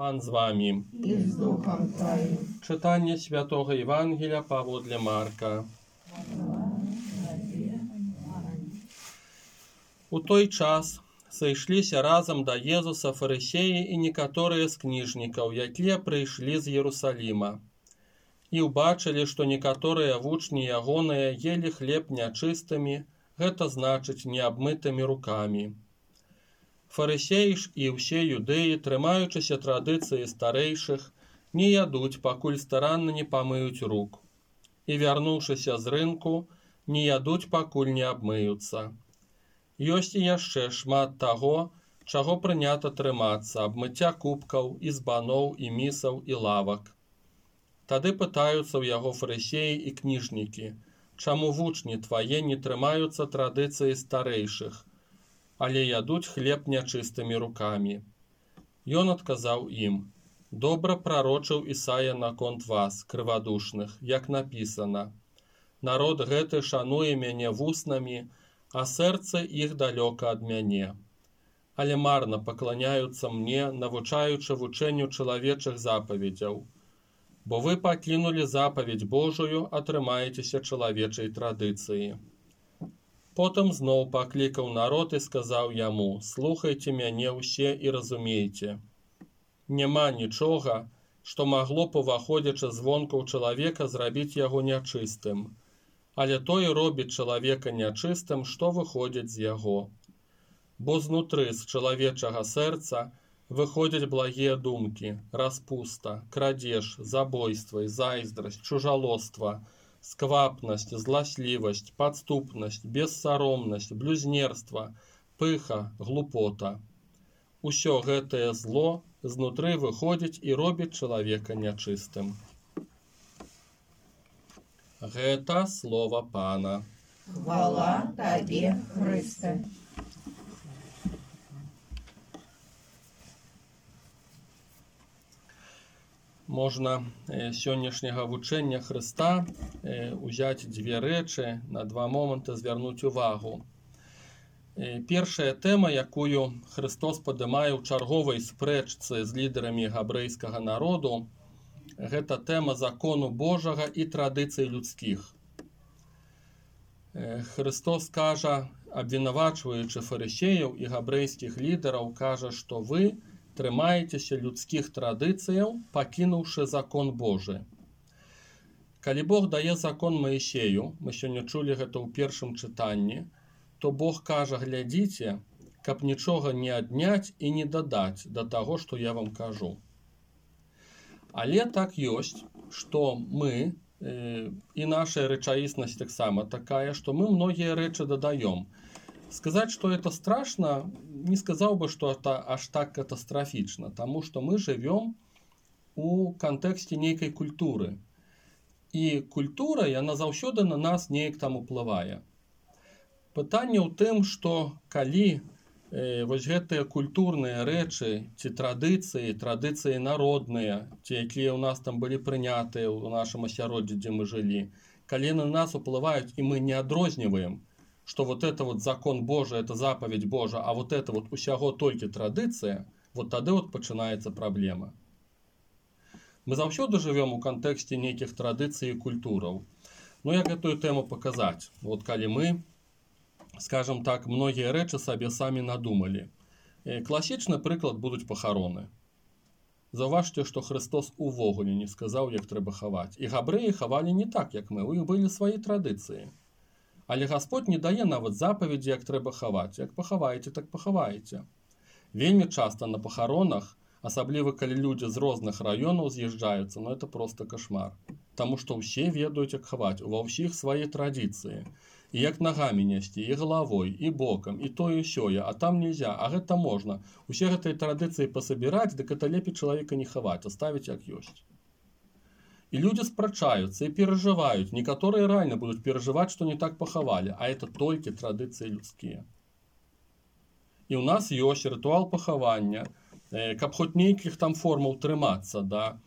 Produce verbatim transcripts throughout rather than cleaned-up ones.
Пан з вами. И с Духом Твоим. Читання Святого Євангелія паводле Марка. У той час сышліся разам да Езуса фарысеі і некаторыя з кніжнікаў, якія прыйшлі з Єрусаліма. І ўбачылі, што некаторыя вучні ягоныя елі хлеб нячыстымі, гэта значыць неабмытымі рукамі. Фарысеі ж і ўсе юдэі, трымаючыся традыцыі старэйшых, не ядуць, пакуль старанна не памыюць рук. І, вярнуўшыся з рынку, не ядуць, пакуль не абмыюцца. Ёсць і яшчэ шмат таго, чаго прынята трымацца, абмыцця кубкаў, і збаноў, і місаў, і лавак. Тады пытаюцца ў яго фарысеі і кніжнікі, чаму вучні твае не трымаюцца традыцыі старэйшых, але ядуць хлеб нячыстымі рукамі. Ён адказаў ім: добра прарочыў Ісая наконт вас, крывадушных, як напісана: народ гэты шануе мяне вуснамі, а сэрца іх далёка ад мяне. Але марна пакланяюцца мне, навучаючы вучэнню чалавечых запаведзяў. Бо вы пакінулі запаведь Божую, атрымаецеся чалавечай традыцыі. Потым зноў паклікаў народ і сказаў яму: слухайце мяне ўсе і разумейце. Няма нічога, што магло б, уваходзячы звонку ў чалавека, зрабіць яго нячыстым. Але тое робіць чалавека нячыстым, што выходзіць з яго. Бо знутры з чалавечага сэрца выходзяць благія думкі, распуста, крадзеж, забойства, зайздрасць, чужалоства, сквапнасць, зласлівасць, падступнасць, бессаромнасць, блюзнерства, пыха, глупота. Усё гэтае зло знутры выходзіць і робіць чалавека нячыстым. Гэта слова Пана. Хвала Табе, Хрысте. Можна сённяшняга вучэння Хрыста узяць дзве рэчы, на два моманты звярнуць увагу. Першая тэма, якую Хрыстос падымае ў чарговай спрэчцы з лідарамі габрэйскага народу, гэта тэма закону Божага і традыцый людскіх. Хрыстос кажа, абвінавачваючы фарысеяў і габрэйскіх лідараў, кажа, што вы трымаецеся людскіх традыцыяў, пакінуўшы закон Божы. Калі Бог дае закон Маісею, мы сёння чулі гэта ў першым чытанні, то Бог кажа: глядзіце, каб нічога не адняць і не дадаць да таго, што я вам кажу. Але так ёсць, што мы, э, і наша рэчаіснасць таксама такая, што мы многія рэчы дадаём. Сказаць, што это страшна, не сказаў бы, што это аж так катастрафічна, таму што мы жывём у кантэксце нейкай культуры. І культура, яна заўсёды на нас неяк там уплывае. Пытанне ў тым, што калі э, вось гэтыя культурныя рэчы, ці традыцыі, традыцыі народныя, ці якія ў нас там былі прынятыя ў нашым асяроддзі, дзе мы жылі, калі на нас уплываюць, і мы не адрозніваем, что вот это вот закон Божий, это заповедь Божа, а вот это вот усяго толькі традыцыя, вот тады вот пачынаецца праблема. Мы заўсёды жывём у кантэксце нейкіх традыцый і культураў. Ну, як гэтую тэму паказаць? Вот калі мы, скажем так, многія рэчы сабе самі надумалі. Класічны прыклад будуць пахароны. Заўважце, што Хрыстос увогуле не сказаў, як трэба хаваць. І габрэі хавалі не так, як мы, у іх былі свае традыцыі. Але Гасподь не дае нават запаведзі, як трэба хаваць. Як пахаваеце, так пахаваеце. Вельмі часта на пахаронах, асабліва калі людзі з розных раёнаў з'язджаюцца, ну это просто кашмар. Таму што ўсе ведаюць, як хаваць, ува ўсіх свае традыцыі. І як нагамі несці, і галавой, і бокам, і тое сёе, а там нельзя, а гэта можна. Усе гэтыя традыцыі пасабіраць, дык это лепей чалавека не хаваць, аставіць як ёсць. І людзі спрачаюцца і перажываюць. Некаторыя рэальна будуць перажываць, што не так пахавалі, а это толькі традыцыі людскія. І ў нас ёсць рытуал пахавання, каб хоць нейкіх там формаў трымацца, да.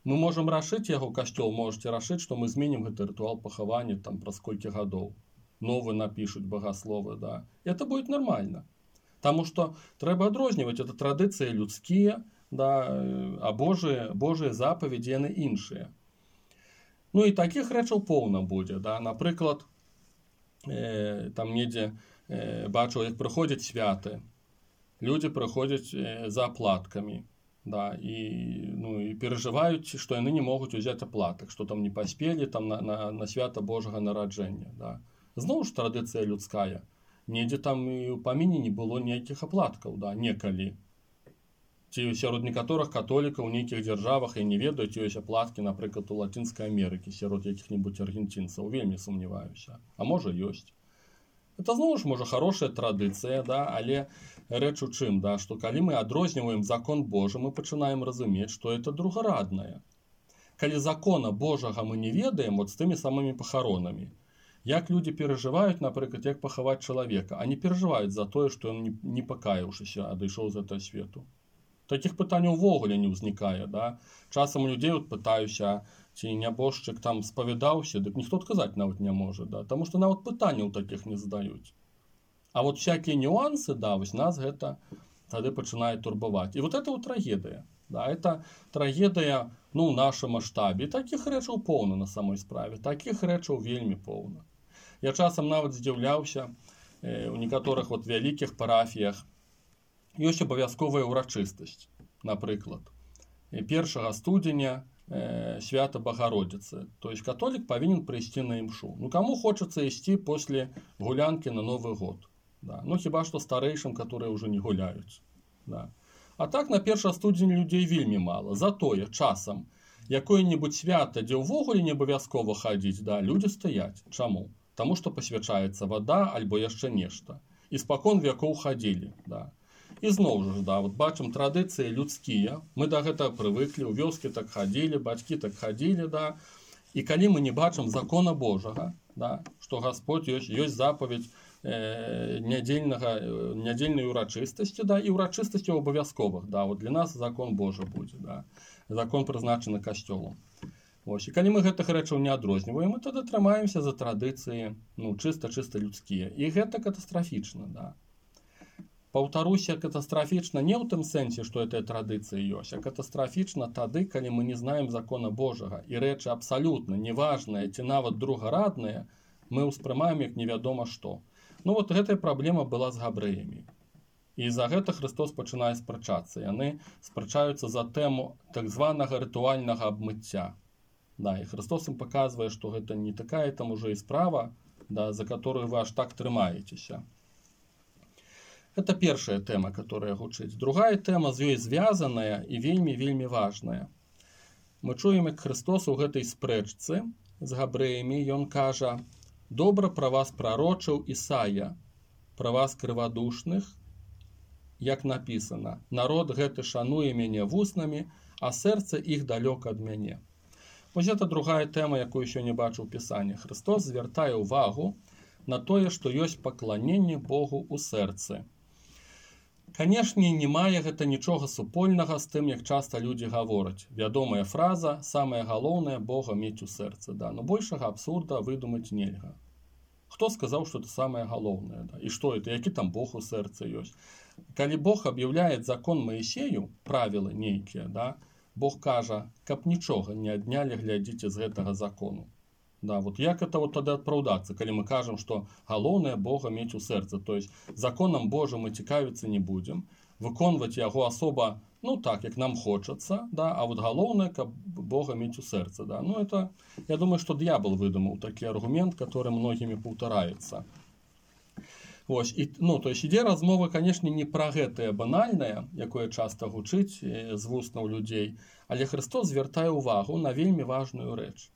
Мы можам рашыць яго, касцёл можаце рашыць, што мы зменім гэты рытуал пахавання там праз колькі гадоў. Новы напішуць багасловы, да. І это будет нормально. Таму што трэба адрозніваць, это традыцыі людскія, да, а Божыя, Божыя запаведзі яны іншыя. Ну і такіх рэчаў поўна будзе. Да. Напрыклад, э, там недзе э, бачыў, як прыходзяць святы. Людзі прыходзяць э, за аплаткамі. Да, і, ну, і перажываюць, што яны не могуць узяць аплатак, што там не паспелі там, на, на, на свята Божага нараджэння. Да. Зноў ж традыцыя людская. Недзе там і ў паміне не было ніякіх аплаткаў, да, некалі. Ці сярод некаторых католікаў у нейкіх дзяржавах, я не ведаю, ці ёсць аплаткі, напрыклад, у Лацінскай Амерыкі, сярод якіх-небудзь аргенцінцаў, вельмі сумняваюся. А можа ёсць. Это зноў ж, можа, хорошая традыцыя, да, але рэч у чым, да, што калі мы адрозніваем закон Божы, мы пачынаем разумець, што это другараднае. Калі закона Божага мы не ведаем, вот з тымі самымі пахаронамі, як людзі перажываюць, напрыклад, як пахаваць чалавека, а не перажываюць за тое, што ён, не, не пакаяўшыся, адышоў з гэтага свету. Такіх пытанняў увогуле не ўзнікае. Да? Часам у людзей от пытаюся, ці нябожчык там спавядаўся, дык ніхто адказаць нават не можа, да? Таму што нават пытанняў такіх не задаюць. А вот всякие нюансы, да, вось нас гэта тады пачынае турбаваць. І вот это вот трагедыя. Да? Это трагедыя, ну, ў нашым маштабе. Такіх рэчаў поўна на самой справе. Такіх рэчаў вельмі поўна. Я часам нават здзіўляўся, э, у некаторых вот вялікіх парафіях ёсць абавязковая ўрачыстасць. Напрыклад, першага студзеня э, свята Багародзіцы. То есть католік павінен прыйсці на імшу. Ну, каму хочацца ісці после гулянкі на Новы год? Да. Ну, хіба што старэйшым, которые ўжо не гуляюць. Да. А так на першага студзеня людзей вельмі мала. Затое часам якое-небудзь свята, дзе ўвогуле не абавязкова хадзіць, да, людзі стаяць. Чаму? Таму што пасвячаецца вада альбо яшчэ нешта. І спакон вякоў хадзілі. Да. І зноў жа, да, вот бачым традыцыі людскія. Мы да гэтага прывыклі, у вёскі так хадзілі, бацькі так хадзілі, да. І калі мы не бачым закона Божага, да, што Гасподь ёсць, ёсць запаведь э, нядзельнага, нядзельнай урачыстасці, да, і урачыстасці абавязковых, да, вот для нас закон Божы будзе, да. Закон прызначаны касцёлам. Вось. І калі мы гэтых рэчаў не адрозніваем, мы тады трымаемся за традыцыі, ну, чыста-чыста людскія. І гэта катастрафічна, да. Паўтаруся, катастрафічна не ў тым сэнсе, што гэтая традыцыя ёсць, а катастрафічна тады, калі мы не знаем закона Божага, і рэчы абсалютна неважныя ці нават другарадныя, мы ўспрымаем як невядома што. Ну вот гэтая праблема была з габрэямі. І за гэта Христос пачынае спрачацца. Яны спрачаюцца за тэму так званага рытуальнага абмыцця. Да, і Христос ім паказвае, што гэта не такая там уже і справа, да, за которую вы аж так трымаецеся. Это першая тэма, которая гучыць. Другая тэма з ёй звязаная і вельмі-вельмі важная. Мы чуем, як Христос у гэтай спрэчцы з габрэямі, ён кажа: «Добра пра вас прарочыў Ісая, пра вас крывадушных, як напісана, народ гэты шануе мяне вуснамі, а сэрца іх далёка ад мяне». Вось гэта другая тэма, якую сёння бачу ў Пісанні. Христос звяртае ўвагу на тое, што ёсць пакланенне Богу ў сэрцы. Канешне, не мае гэта нічога супольнага з тым, як часта людзі гавораць. Вядомая фраза «самае галоўнае Бога мець у сэрцы». Да? Но большага абсурда выдумаць нельга. Хто сказаў, што это самае галоўнае? Да? І што это? Які там Бог у сэрцы ёсць? Калі Бог аб'яўляе закон Маісею, правілы нейкія, да? Бог кажа, каб нічога не аднялі, глядзіце з гэтага закону. Да, вот як это вот тады апраўдацца, калі мы кажам, што галоўнае Бога мець у сэрцы, то есть законам Божым мы цікавіцца не будзем, выконваць яго асоба, ну так, як нам хочацца, да, а вот галоўнае, каб Бога мець у сэрцы, да. Ну это, я думаю, што д'ябал выдумаў такі аргумент, который многімі паўтараецца. Вось, і, ну, то есть ідзе размова, канешне, не пра гэтае банальнае, якое часта гучыць з вуснаў людзей, але Христос звяртае ўвагу на вельмі важную рэч.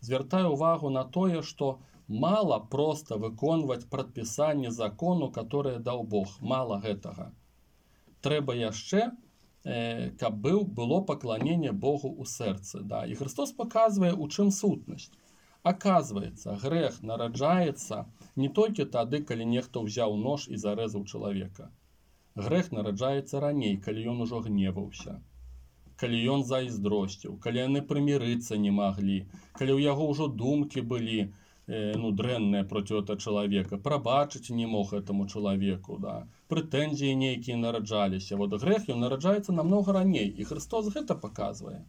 Звяртае ўвагу на тое, што мала проста выконваць прадпісанне закону, которое даў Бог. Мала гэтага. Трэба яшчэ, э, каб быў, было пакланенне Богу ў сэрцы. Да? І Христос паказвае, у чым сутнасць. Аказваецца, грэх нараджаецца не толькі тады, калі нехта ўзяў нож і зарэзаў чалавека. Грэх нараджаецца раней, калі ён ужо гневаўся. Калі ён зайздросціў, калі яны прымірыцца не маглі, калі ў яго ўжо думкі былі э, ну, дрэннае проці этого чалавека, прабачыць не мог этому чалавеку, да, прэтэнзіі нейкія нараджаліся. Вот грэх ён нараджаецца намнога раней, і Христос гэта паказвае.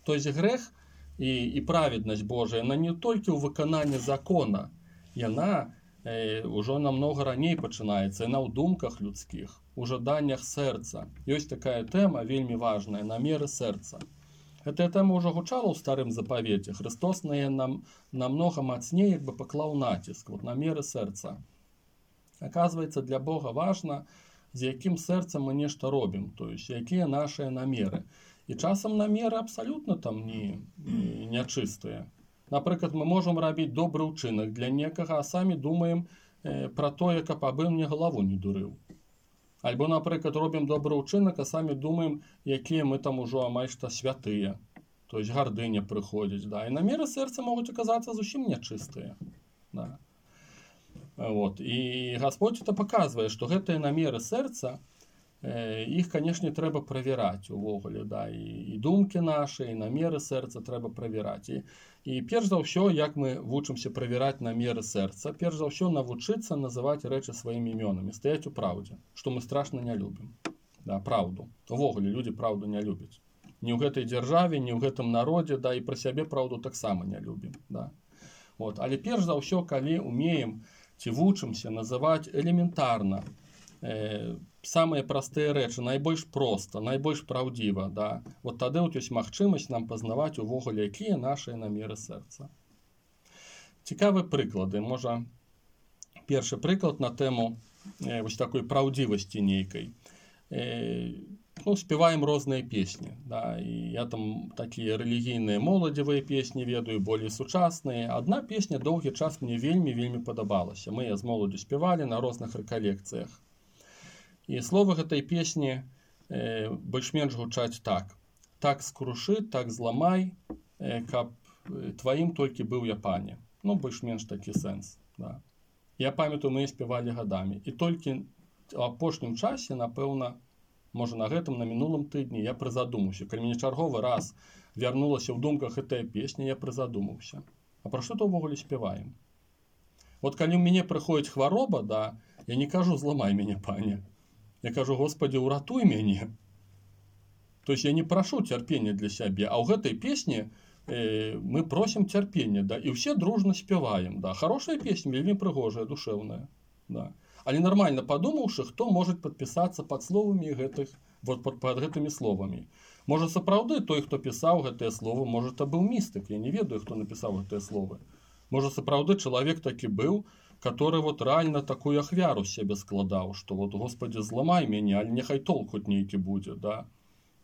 То есть грэх і, і праведнасць Божая, яна не толькі ў выкананні закона, яна э, ўжо намнога раней пачынаецца, яна ў думках людскіх, у жаданнях сэрца. Ёсць такая тэма вельмі важная, намеры сэрца. Гэтая тэма ўжо гучала ў старым запавеце. Христос на яе нам намнога мацней як бы паклаў націск, вот намеры сэрца. Аказваецца, для Бога важна, з якім сэрцам мы нешта робім, то есть якія нашыя намеры. І часам намеры абсалютна там не, не, нячыстыя. Напрыклад, мы можам рабіць добры ўчынак для некага, а самі думаем э, пра тое, каб абы мне галаву не дурыў. Альбо, напрыклад, робім добры ўчынак, а самі думаем, якія мы там ужо амаль што святыя. То есть гардыня прыходзіць, да. І намеры сэрца могуць аказацца зусім нячыстыя. Да. Вот. І Гасподзь это паказвае, што гэтыя намеры сэрца, э, іх, канешне, трэба правяраць увогуле, да. І, і думкі нашы, і намеры сэрца трэба правяраць. І, і перш за ўсё, як мы вучымся правяраць намеры сэрца, перш за ўсё навучыцца называць рэчы сваімі імёнамі, стаяць у праўдзе, што мы страшна не любім. Да, праўду. Увогуле людзі праўду не любяць. Ні ў гэтай дзяржаве, ні ў гэтым народзе, да, і пра сябе праўду таксама не любім. Да. Вот. Але перш за ўсё, калі умеем ці вучымся называць элементарна э, самыя простыя рэчы, найбольш проста, найбольш праўдзіва, да. Вот тады вот ёсць магчымасць нам пазнаваць увогуле, якія нашыя намеры сэрца. Цікавыя прыклады. Можа, першы прыклад на тэму э, вось такой праўдзівасці нейкай. Э, ну, спяваем розныя песні, да, і я там такія рэлігійныя моладзевыя песні ведаю, болей сучасныя. Адна песня доўгі час мне вельмі-вельмі падабалася. Мы з моладзю спявалі на розных рэкалекцыях. І словы гэтай песні э, больш-менш гучаць так. Так скрушы, так зламай, э, каб тваім толькі быў я пане. Ну, больш-менш такі сэнс. Да. Я памятаю, мы спявалі гадамі. І толькі ў апошнім часе, напэўна, можа на гэтым, на мінулым тыдні, я прызадумаўся. Калі мне чарговы раз вярнулася ў думках гэтая песня, я прызадумаўся. А пра што то ўвогуле спяваем? Вот калі ў мяне прыходзіць хвароба, да, я не кажу «зламай мяне, пане». Я кажу, Господи, уратуй мяне. То есть я не прашу цярпення для сябе, а ў гэтай песні э, мы просім цярпення, да, і ўсе дружна спяваем, да. Хорошая песня, вельмі прыгожая, душэўная, да. Але нармальна падумаўшы, хто можа падпісацца пад словамі гэтых, вот пад, пад гэтымі словамі. Можа, сапраўды той, хто пісаў гэтыя словы, можа, это быў містык, я не ведаю, хто напісаў гэтыя словы. Можа, сапраўды чалавек такі быў, который вот реально такую ахвяру себе складаў, что вот, Господи, зламай мяне, але няхай толк хоть нейкі будзе, да.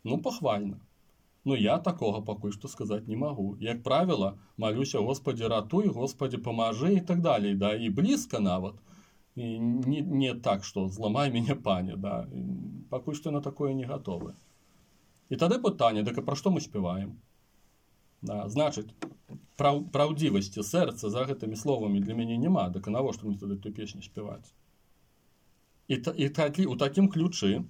Ну, пахвальна. Но я такога пакуль што сказаць не магу. Як правіла, малюся, Господи, ратуй, Господи, памажы і так далей, да, і блізка нават. І не, не так, што зламай мяне, пане, да. Пакуль што на такое не гатовы. І тады пытанне, дык пра што мы спяваем? Да, значыць, праў, праўдзівасці сэрца за гэтымі словамі для мяне няма, дык навошта мне тады ту песню спяваць? І, і такі, у такім ключы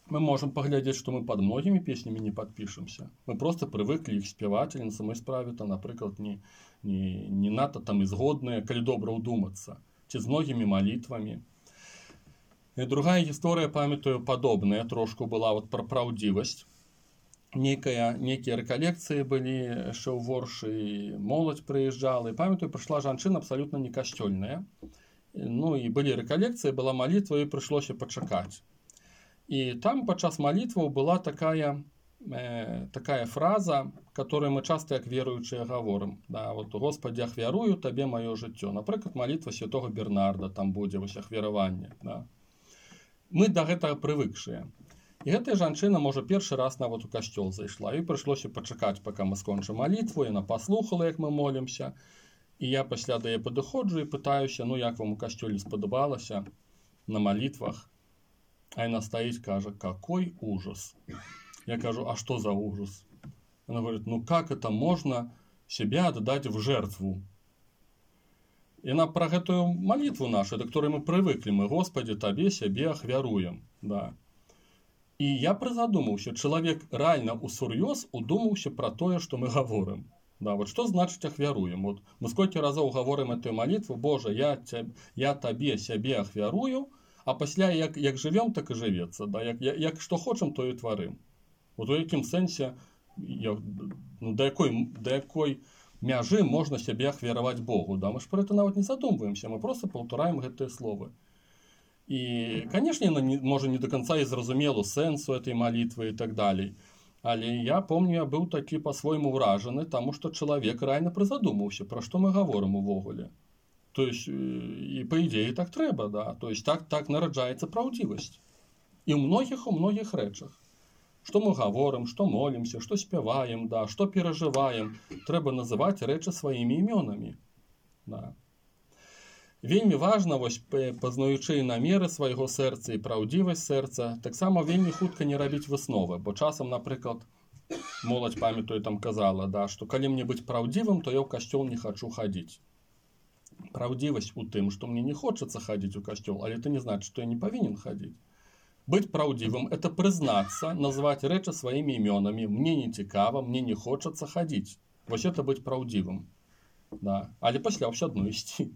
мы можам паглядзець, што мы пад многімі песнямі не падпішемся. Мы проста прывыклі іх спяваць, але на самой справе, то, напрыклад, не, не, не надта там і згодныя, калі добра ўдумацца, ці з многімі малітвамі. І другая гісторыя, памятаю, падобная, трошку была вот пра праўдзівасць. Некая, некія рэкалекцыі былі яшчэ ў Воршы, моладзь прыязджала, і памятаю, прыйшла жанчына абсалютна не касцёльная. Ну і былі рэкалекцыі, была малітва, і прыйшлося пачакаць. І там падчас малітваў была такая, э, такая фраза, которую мы часта як веруючыя гаворым. Да, вот, Господи, ахвярую табе маё жыццё. Напрыклад, малітва святого Бернарда, там будзе вось ахвяраванне. Да. Мы да гэтага прывыкшыя. І гэтая жанчына, можа, першы раз нават у касцёл зайшла, і прыйшлося пачакаць, пака мы скончым малітву, яна паслухала, як мы молімся, і я пасля да яе падыходжу і пытаюся, ну, як вам у касцёле спадабалася на малітвах, а яна стаіць, кажа, какой ужас. Я кажу, а што за ужас? Она говорит, ну, как это можно себя отдать в жертву? Яна пра гэтую малітву нашу, да которой мы прывыклі, мы, Господи, табе сябе ахвяруем, да. І я прызадумаўся, чалавек рэальна ўсур'ёз удумаўся пра тое, што мы гаворым. Да, вот что значит ахвяруем? Вот мы сколько разов говорим эту молитву: Боже, я, теб, я Табе себе ахвярую, а пасля як, як живем, так и живется. Да? Як, як, як что хочем, то и творим. Вот у яким сенсе, я, ну, до якой, до якой мяжы можно себе ахвяровать Богу? Да? Мы ж про это нават не задумываемся, мы просто повторяем гэтые словы. И, конечно, не, может не до конца и зразумелу сенсу этой молитвы и так далее. Але я помню, я быў такі по-свойму ўражаны, таму што чалавек рэальна прызадумаўся, пра што мы гаворым увогуле. То есть, і па ідзеі так трэба, да. То есть так, так нараджаецца праўдзівасць. І ў многіх у многіх рэчах. Што мы гаворым, што молімся, што спяваем, да, што перажываем, трэба называць рэчы сваімі імёнамі. Да. Вельмі важна, вось, пазнаючы намеры свайго сэрца і праўдзівасць сэрца, таксама вельмі хутка не рабіць высновы, бо часам, напрыклад, моладзь, памятаю, там казала, да, што калі мне быць праўдзівым, то я ў касцёл не хачу хадзіць. Праўдзівасць у тым, што мне не хочацца хадзіць у касцёл, але это не значыць, што я не павінен хадзіць. Быць праўдзівым – это прызнацца, назваць рэчы сваімі імёнамі, мне не цікава, мне не хочацца хадзіць. Вось это быць праўдзівым. Да. Але пасля ўсё адно ісці.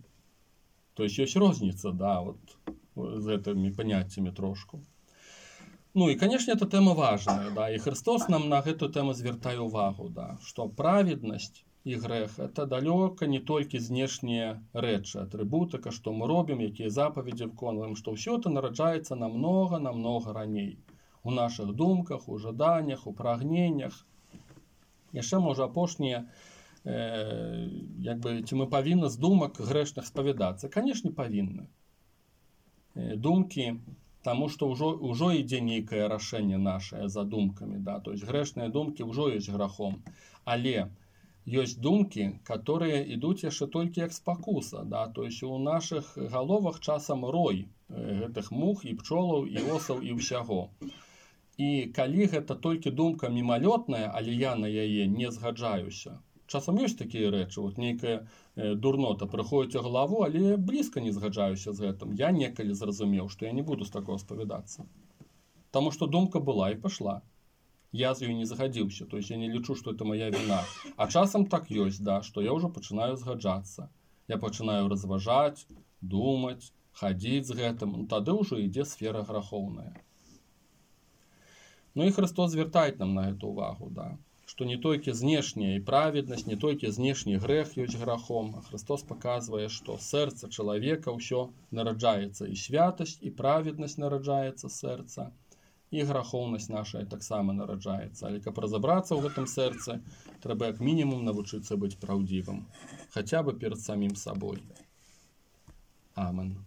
То есть есть розница, да, вот с этими понятиями трошку. Ну и, конечно, эта тема важная, да, и Христос нам на эту тему звертае увагу, да, что праведность и грех – это далеко не только знешние рэчы, атрибутика, что мы робим, какие заповеди выконываем, что все это нараджается намного-намного раней. У наших думках, у жаданиях, у прагнениях. Яшчэ, можа, апошнія, Э, як бы, ці мы павінны з думак грэшных спавядацца? Канешне, павінны. Э, думкі, таму што ўжо, ўжо ідзе нейкае рашэнне нашае за думкамі, да? То есть грэшныя думкі ўжо ёсць грахом. Але ёсць думкі, которые ідуць яшчэ толькі як спакуса, да? То есть у нашых галовах часам рой э, гэтых мух і пчолаў, і осаў, і ўсяго. І калі гэта толькі думка мімалётная, але я на яе не згаджаюся, часам ёсць такія рэчы, вот нейкая э, дурнота прыходзіць у галаву, але блізка не згаджаюся з гэтым. Я некалі зразумеў, што я не буду з такого спавядацца. Таму што думка была і пашла. Я з ёй не згадзіўся, то есть я не лічу, што это моя віна. А часам так ёсць, да, што я ўжо пачынаю згаджацца. Я пачынаю разважаць, думаць, хадзіць з гэтым, ну, тады ўжо ідзе сфера грахоўная. Ну і Христос звяртае нам на гэту увагу, да. Что не только знешняя и праведность, не только знешний грех есть грехом, а Христос показывает, что сердце человека все нараджается, и святость, и праведность нараджается сердца, и греховность наша так само нараджается. Але каб разобраться в этом сердце, треба как минимум научиться быть правдивым, хотя бы перед самим собой. Амен.